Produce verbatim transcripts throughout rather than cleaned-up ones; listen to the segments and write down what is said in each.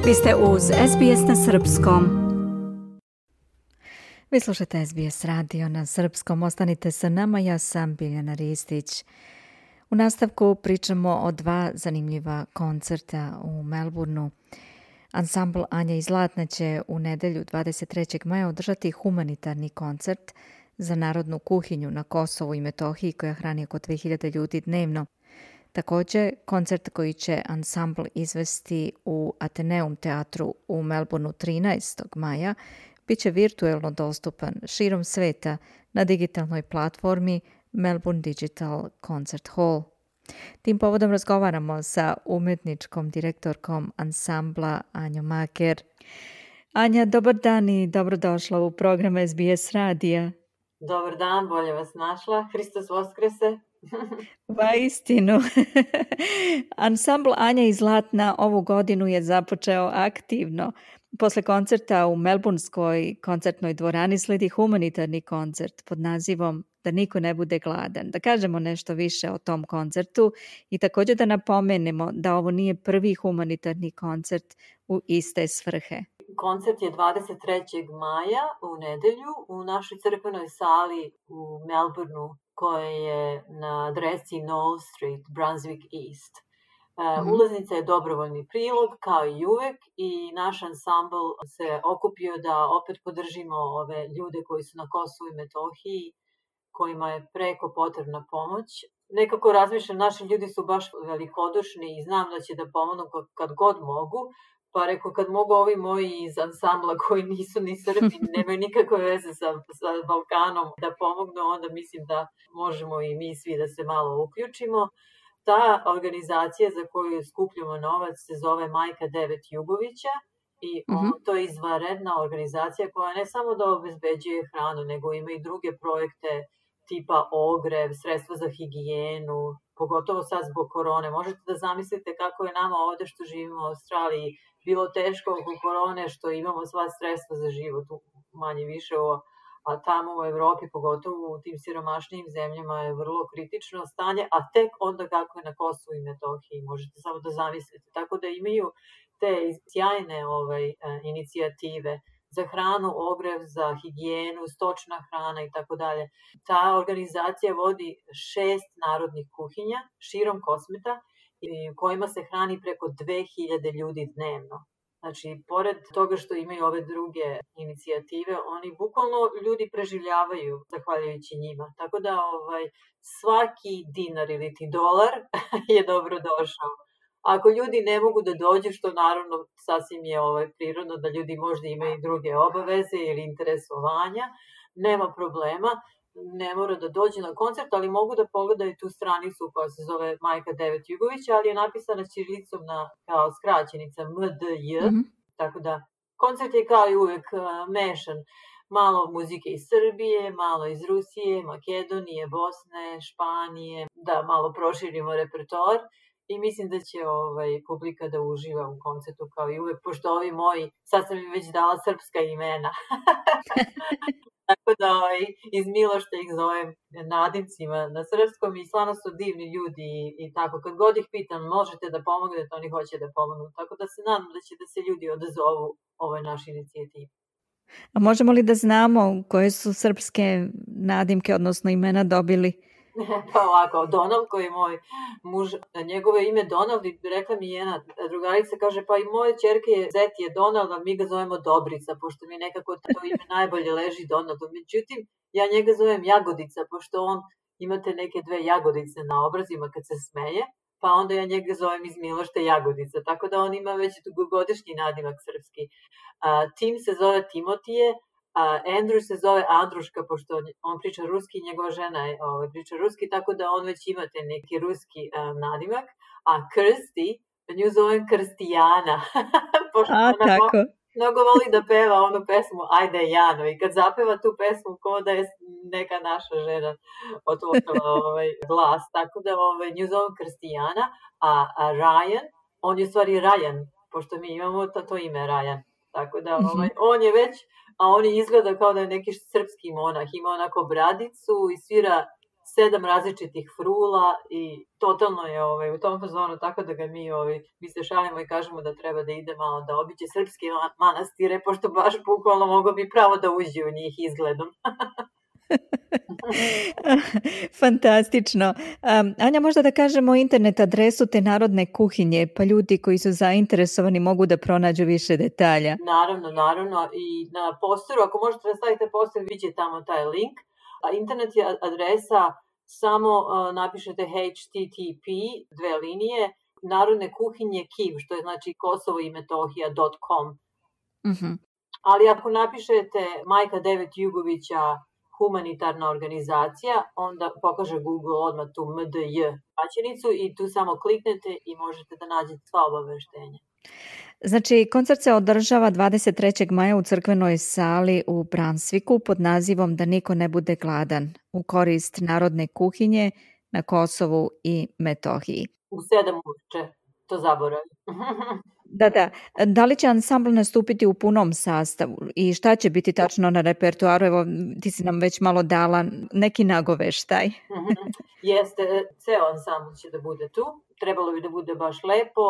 Vi ste uz S B S na srpskom. Vi slušate S B S radio na srpskom. Ostanite sa nama, ja sam Biljana Ristić. U nastavku pričamo o dva zanimljiva koncerta u Melbourneu. Ansambl Anja i Zlatna će u nedelju dvadeset trećeg maja održati humanitarni koncert za narodnu kuhinju na Kosovu i Metohiji koja hrani oko dve hiljade ljudi dnevno. Također, koncert koji će ansambl izvesti u Ateneum teatru u Melbourneu trinaestog maja bit će virtuelno dostupan širom sveta na digitalnoj platformi Melbourne Digital Concert Hall. Tim povodom razgovaramo sa umetničkom direktorkom ansambla Anjom Maker. Anja, dobar dan i dobrodošla u program S B S radija. Dobar dan, bolje vas našla. Hristos Voskrese. Va istinu. Ansambl Anja i Zlatna ovu godinu je započeo aktivno. Posle koncerta u Melbourneskoj koncertnoj dvorani sledi humanitarni koncert pod nazivom Da niko ne bude gladan. Da kažemo nešto više o tom koncertu i također da napomenemo da ovo nije prvi humanitarni koncert u iste svrhe. Koncert je dvadeset trećeg maja u nedelju u našoj crkvenoj sali u Melbourneu koja je na adresi Knoll Street, Brunswick East. Uh, ulaznica je dobrovoljni prilog kao i uvek i naš ansambl se okupio da opet podržimo ove ljude koji su na Kosovu i Metohiji, kojima je preko potrebna pomoć. Nekako razmišljam, naši ljudi su baš velikodušni i znam da će da pomognu kad god mogu, pa reko kad mogu ovi moji iz ansambla koji nisu ni Srbi, nemaju nikakve veze sa, sa Balkanom da pomognu, onda mislim da možemo i mi svi da se malo uključimo. Ta organizacija za koju skupljamo novac se zove Majka devet Jugovića i on, mm-hmm. to je izvanredna organizacija koja ne samo da obezbeđuje hranu, nego ima i druge projekte tipa ogrev, sredstva za higijenu, pogotovo sad zbog korone. Možete da zamislite kako je nama ovde što živimo u Australiji bilo teško oko korone, što imamo sva sredstva za život, manje više, a tamo u Evropi, pogotovo u tim siromašnijim zemljama, je vrlo kritično stanje, a tek onda kako je na Kosovu i Metohiji, možete samo da zamislite. Tako da imaju te sjajne ovaj, inicijative za hranu, ogrev, za higijenu, stočna hrana i tako dalje. Ta organizacija vodi šest narodnih kuhinja širom Kosmeta, kojima se hrani preko dve hiljade ljudi dnevno. Znači, pored toga što imaju ove druge inicijative, oni bukvalno ljudi preživljavaju zahvaljujući njima. Tako da ovaj, svaki dinar ili ti dolar je dobro došao. Ako ljudi ne mogu da dođu, što naravno sasvim je ovaj, prirodno da ljudi možda imaju druge obaveze ili interesovanja, nema problema. Ne mora da dođe na koncert, ali mogu da pogledaju tu stranicu koja se zove Majka devet Jugovića, ali je napisana ćirilicom na, kao skraćenica M D J, mm-hmm. tako da koncert je kao i uvek uh, mešan. Malo muzike iz Srbije, malo iz Rusije, Makedonije, Bosne, Španije, da malo proširimo repertoar i mislim da će ovaj, publika da uživa u koncertu kao i uvek, pošto ovi moji, sad sam im već dala srpska imena. Tako da iz Milošta ih zovem nadimcima na srpskom i stvarno su divni ljudi i, i tako. Kad god ih pitam možete da pomognete, oni hoće da pomognu. Tako da se nadam da će da se ljudi odazovu ovoj našoj inicijativi. A možemo li da znamo koje su srpske nadimke, odnosno imena dobili? Pa ovako, Donald koji je moj muž, njegovo ime Donald i rekla mi jedna drugarica, kaže pa i moje ćerke je zet je Donald, a mi ga zovemo Dobrica, pošto mi nekako to ime najbolje leži Donaldu. Međutim, ja njega zovem Jagodica, pošto on imate neke dve jagodice na obrazima kad se smeje, pa onda ja njega zovem iz Milošta Jagodica, tako da on ima već dugogodišnji nadimak srpski. A, Tim se zove Timotije, a Andrew se zove Andruška, pošto on priča ruski i njegova žena je, ovaj, priča ruski, tako da on već imate neki ruski um, nadimak. A Krsti, nju zovem Krstijana. pošto a, ona tako. Mnogo voli da peva onu pesmu Ajde Jano i kad zapeva tu pesmu ko da je neka naša žena otvorila ovaj, glas. Tako da ovaj, nju zovem Krstijana, a, a Ryan, on je u stvari Ryan, pošto mi imamo to, to ime Ryan. Tako da ovaj, on je već, a on izgleda kao da je neki srpski monah, ima onako bradicu i svira sedam različitih frula i totalno je ovaj, u tom fazonu, tako da ga mi, ovaj, mi se šalimo i kažemo da treba da ide malo da obiđe srpske manastire, pošto baš bukvalno mogo bi pravo da uđe u njih izgledom. Fantastično. Um, Anja, možda da kažemo internet adresu te narodne kuhinje, pa ljudi koji su zainteresovani mogu da pronađu više detalja. Naravno, naravno. I na posteru, ako možete da stavite poster, vidite tamo taj link. A internet je adresa, samo uh, napišete H T T P, dve linije, narodne kuhinje Kiv, što je znači Kosovo i Metohija dot com. Uh-huh. Ali ako napišete Majka Devet Jugovića humanitarna organizacija, onda pokaže Google odmah tu M D J paćenicu i tu samo kliknete i možete da nađete sva obaveštenja. Znači, koncert se održava dvadeset trećeg maja u crkvenoj sali u Brunswicku pod nazivom Da niko ne bude gladan, u korist narodne kuhinje na Kosovu i Metohiji. U sedam uveče, to zaboravim. Da, da. Da li će ansambl nastupiti u punom sastavu i šta će biti tačno na repertoaru? Evo, ti si nam već malo dala neki nagoveštaj. Jeste, ceo ansambl će da bude tu. Trebalo bi da bude baš lepo.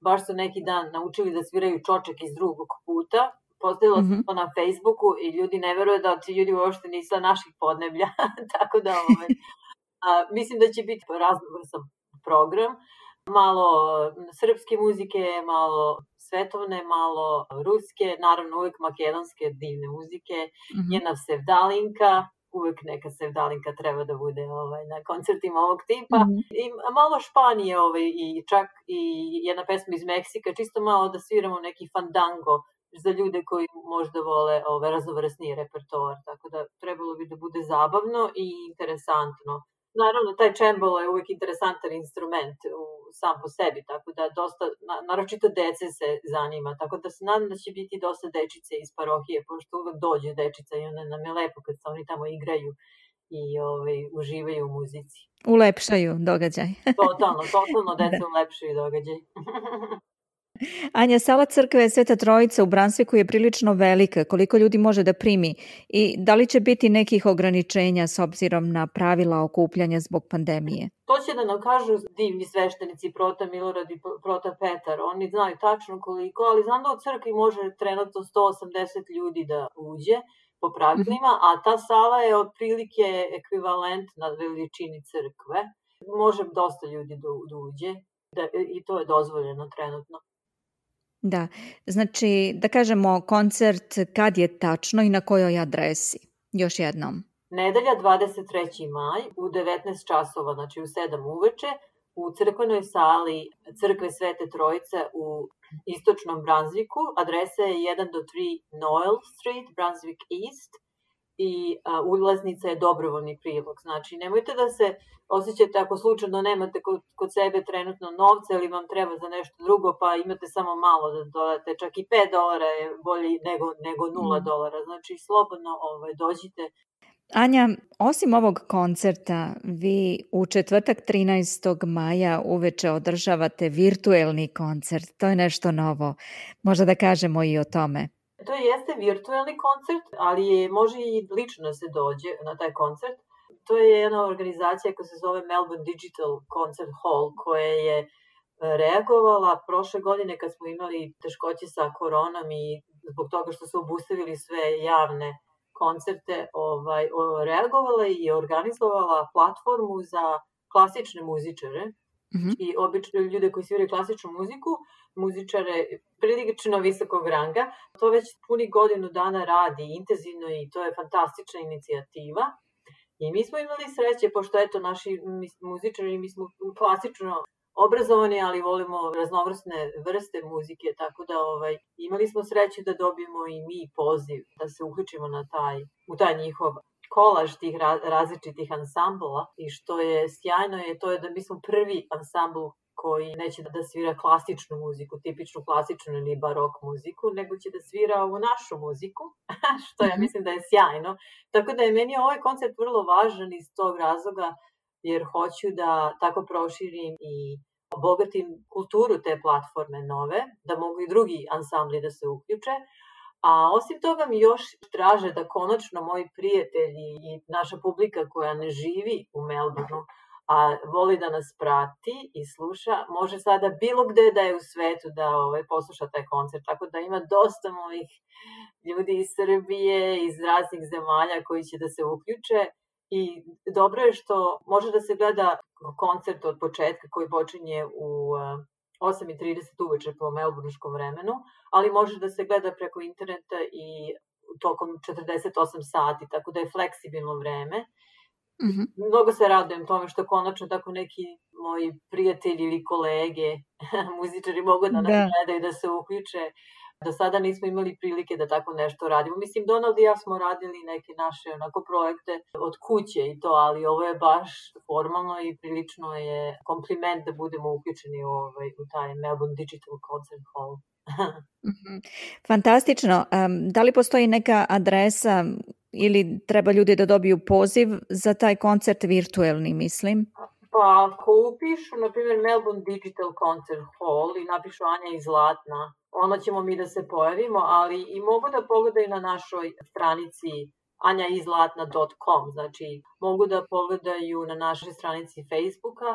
Baš su neki dan naučili da sviraju Čoček iz drugog puta. Postavila sam mm-hmm. to na Facebooku i ljudi ne veruju da ti ljudi uopšte nisu naših podneblja. Tako da ovaj, a, mislim da će biti raznovrsan program. Malo srpske muzike, malo svetovne, malo ruske, naravno uvek makedonske divne muzike, mm-hmm. jedna sevdalinka, uvek neka sevdalinka treba da bude ovaj, na koncertima ovog tipa, mm-hmm. i malo Španije ovaj, i čak i jedna pesma iz Meksika, čisto malo da sviramo neki fandango za ljude koji možda vole ovaj, raznovrsniji repertoar, tako da trebalo bi da bude zabavno i interesantno. Naravno, taj čembalo je uvijek interesantan instrument u, sam po sebi, tako da dosta, na, naročito dece se zanima, tako da se nadam da će biti dosta dečice iz parohije, pošto uvijek dođe dečica i onda nam je lepo kad se oni tamo igraju i ovaj, uživaju u muzici. Ulepšaju događaj. Totalno, totalno deca ulepšaju događaj. Anja, sala crkve Sveta Trojica u Brunswicku je prilično velika. Koliko ljudi može da primi? I da li će biti nekih ograničenja s obzirom na pravila okupljanja zbog pandemije? To će da nam kažu divni sveštenici Prota Milorad i Prota Petar. Oni znaju tačno koliko, ali znam da u crkvi može trenutno sto osamdeset ljudi da uđe po pravilima, mm-hmm. a ta sala je otprilike ekvivalent na veličini crkve. Može dosta ljudi da, da uđe da, i to je dozvoljeno trenutno. Da, znači da kažemo koncert kad je tačno i na kojoj adresi? Još jednom. Nedelja dvadeset treći maj u devetnaest časova, znači u sedam uveče, u crkvenoj sali Crkve Svete Trojice u istočnom Brunswicku. Adresa je jedan do tri Noel Street, Brunswick East, i a, ulaznica je dobrovoljni prilog. Znači, nemojte da se osjećate ako slučajno nemate kod, kod sebe trenutno novca ili vam treba za nešto drugo, pa imate samo malo da dodate, čak i pet dolara je bolje nego, nego nula dolara. Znači, slobodno ovaj, dođite. Anja, osim ovog koncerta, vi u četvrtak trinaestog maja uveče održavate virtuelni koncert. To je nešto novo. Možda da kažemo i o tome. To jeste virtuelni koncert, ali je, može i lično da se dođe na taj koncert. To je jedna organizacija koja se zove Melbourne Digital Concert Hall, koja je reagovala prošle godine kad smo imali teškoće sa koronom i zbog toga što su obustavili sve javne koncerte, ovaj, reagovala i organizovala platformu za klasične muzičare. Mm-hmm. I obično ljude koji sviraju klasičnu muziku, muzičare prilično visokog ranga. To već puni godinu dana radi intenzivno i to je fantastična inicijativa. I mi smo imali sreće, pošto eto naši muzičari, mi smo klasično obrazovani, ali volimo raznovrsne vrste muzike, tako da ovaj, imali smo sreće da dobijemo i mi poziv da se uključimo na taj, u taj njihov kolaž tih različitih ansambla. I što je sjajno je to je da mi smo prvi ansambl koji neće da svira klasičnu muziku, tipičnu klasičnu ili barok muziku, nego će da svira ovu našu muziku, što ja mislim da je sjajno. Tako da je meni ovaj koncert vrlo važan iz tog razloga, jer hoću da tako proširim i obogatim kulturu te platforme nove, da mogu i drugi ansambli da se uključe. A osim toga mi još traže da konačno moji prijatelji i naša publika koja ne živi u Melbourneu, a voli da nas prati i sluša, može sada bilo gde da je u svetu da ovaj, posluša taj koncert. Tako da ima dosta mojih ljudi iz Srbije, iz raznih zemalja koji će da se uključe. I dobro je što može da se gleda koncert od početka koji počinje u osam i trideset uveče po melburnskom vremenu, ali može da se gleda preko interneta i tokom četrdeset osam sati, tako da je fleksibilno vreme. Mm-hmm. Mnogo se radujem tome što konačno tako neki moji prijatelji ili kolege, muzičari mogu da nas da. gledaju, da se uključe. Do sada nismo imali prilike da tako nešto radimo. Mislim, Donald i ja smo radili neke naše onako projekte od kuće i to, ali ovo je baš formalno i prilično je kompliment da budemo uključeni u, ovaj, u taj Melbourne Digital Concert Hall. Mm-hmm. Fantastično. Um, da li postoji neka adresa ili treba ljudi da dobiju poziv za taj koncert virtuelni, mislim? Pa ako upišu, na primjer, Melbourne Digital Concert Hall i napišu Anja iz Zlatna, onda ćemo mi da se pojavimo, ali i mogu da pogledaju na našoj stranici anja iz zlatna dot com, znači mogu da pogledaju na našoj stranici Facebooka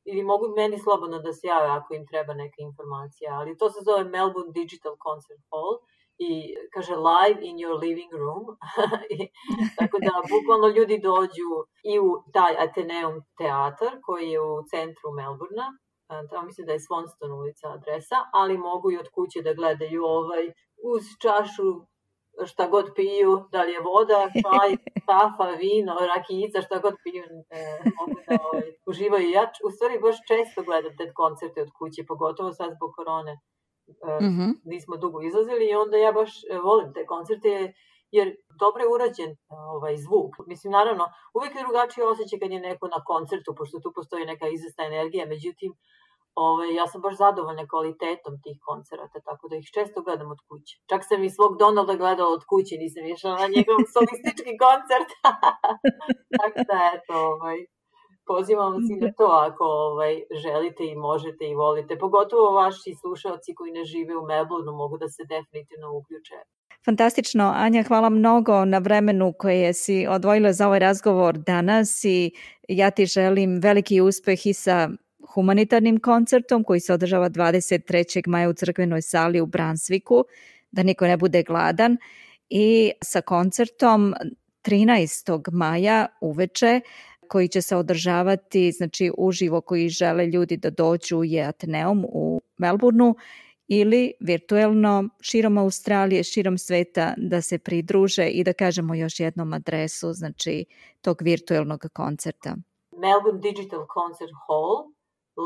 ili mogu meni slobodno da se jave ako im treba neka informacija, ali to se zove Melbourne Digital Concert Hall i kaže live in your living room. Tako da bukvalno ljudi dođu i u taj Athenaeum teatar koji je u centru Melbournea, tamo mislim da je Swanston ulica adresa, ali mogu i od kuće da gledaju ovaj, uz čašu šta god piju, da li je voda, čaj, kafa, vino, rakijica, šta god piju, e, mogu da ovaj, uživaju. Ja u stvari baš često gledam te koncerte od kuće, pogotovo sad zbog korone. E, mm-hmm. Nismo dugo izlazili i onda ja baš e, volim te koncerte jer dobro je urađen ovaj, zvuk. Mislim, naravno, uvijek je drugačiji osjećaj kad je neko na koncertu, pošto tu postoji neka izvesna energija, međutim, ovaj, ja sam baš zadovoljna kvalitetom tih koncerata, tako da ih često gledam od kuće. Čak sam i svog Donalda gledala od kuće, nisam išla na njegov solistički koncert. Tako da, eto, ovaj, pozivam vas i na to ako ovaj, želite i možete i volite. Pogotovo vaši slušalci koji ne žive u Melbourneu mogu da se definitivno uključe. Fantastično. Anja, hvala mnogo na vremenu koje si odvojila za ovaj razgovor danas i ja ti želim veliki uspeh i sa humanitarnim koncertom koji se održava dvadeset trećeg maja u crkvenoj sali u Brunswicku, da niko ne bude gladan, i sa koncertom trinaestog maja uveče koji će se održavati, znači uživo, koji žele ljudi da dođu, je Athenaeum u Melbourneu ili virtuelno širom Australije, širom sveta da se pridruže i da kažemo još jednom adresu, znači tog virtuelnog koncerta. Melbourne Digital Concert Hall,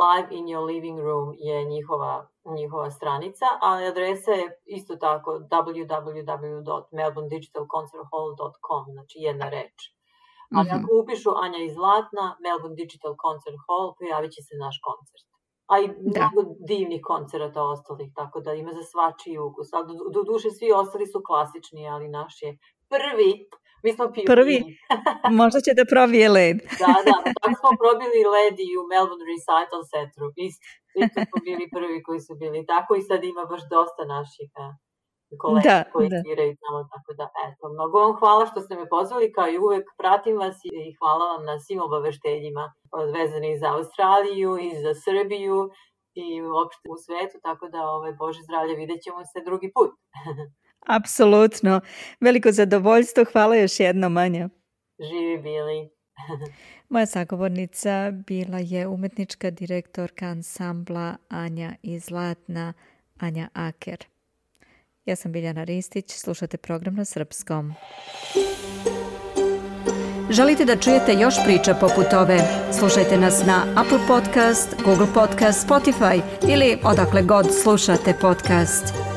live in your living room je njihova, njihova stranica, ali adresa je isto tako w w w dot melbourne digital concert hall dot com, znači jedna reč. Ali mm-hmm. ako upišu Anja iz Zlatna, Melbourne Digital Concert Hall, pojavit će se naš koncert. A i da. mnogo divnih koncerata ostalih, tako da ima za svačiji ukus. A do, do duše svi ostali su klasični, ali naš je prvi. Mi smo pili. Prvi? Možda će da probije led. Da, da. Tako smo probili led i u Melbourne Recital Centru. Isto, isto smo bili prvi koji su bili tako i sad ima baš dosta naših a, kolega da, koji da. sviraju tamo. Tako da, eto, mnogo vam hvala što ste me pozvali, kao i uvek pratim vas i hvala vam na svim obaveštenjima vezanih za Australiju i za Srbiju i uopšte u svetu, tako da, ovaj, Bože zdravlje, vidjet ćemo se drugi put. Apsolutno. Veliko zadovoljstvo. Hvala još jednom, Anja. Živi bili. Moja sagovornica bila je umetnička direktorka ansambla Anja iz Zlatna, Anja Aker. Ja sam Biljana Ristić, slušate program na srpskom. Želite da čujete još priča poput ove? Slušajte nas na Apple Podcast, Google Podcast, Spotify ili odakle god slušate podcast.